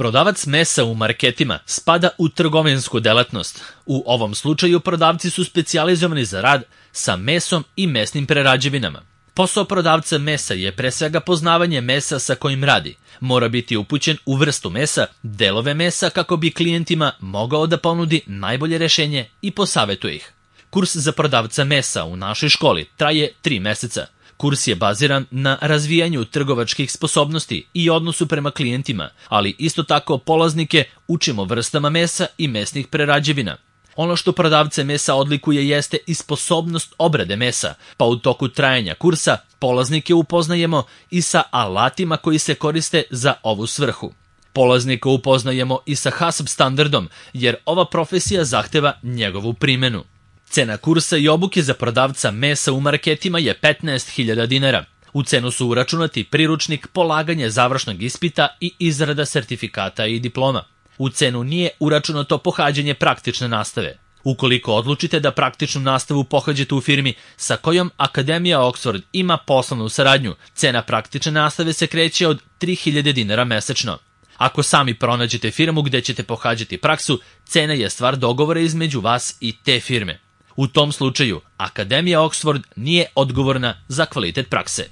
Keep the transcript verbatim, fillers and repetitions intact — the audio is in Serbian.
Prodavac mesa u marketima spada u trgovinsku delatnost. U ovom slučaju prodavci su specijalizovani za rad sa mesom i mesnim prerađevinama. Posao prodavca mesa je pre svega poznavanje mesa sa kojim radi. Mora biti upućen u vrstu mesa, delove mesa kako bi klijentima mogao da ponudi najbolje rešenje i posavetuje ih. Kurs za prodavca mesa u našoj školi traje tri meseca. Kurs je baziran na razvijanju trgovačkih sposobnosti i odnosu prema klijentima, ali isto tako polaznike učimo vrstama mesa i mesnih prerađevina. Ono što prodavce mesa odlikuje jeste i sposobnost obrade mesa, pa u toku trajanja kursa polaznike upoznajemo i sa alatima koji se koriste za ovu svrhu. Polaznika upoznajemo i sa HACCP standardom, jer ova profesija zahteva njegovu primenu. Cena kursa i obuke za prodavca mesa u marketima je petnaest hiljada dinara. U cenu su uračunati priručnik, polaganje završnog ispita i izrada sertifikata i diploma. U cenu nije uračunato pohađanje praktične nastave. Ukoliko odlučite da praktičnu nastavu pohađate u firmi sa kojom Akademija Oxford ima poslovnu saradnju, cena praktične nastave se kreće od tri hiljade dinara mesečno. Ako sami pronađete firmu gde ćete pohađati praksu, cena je stvar dogovora između vas i te firme. U tom slučaju, Akademija Oxford nije odgovorna za kvalitet prakse.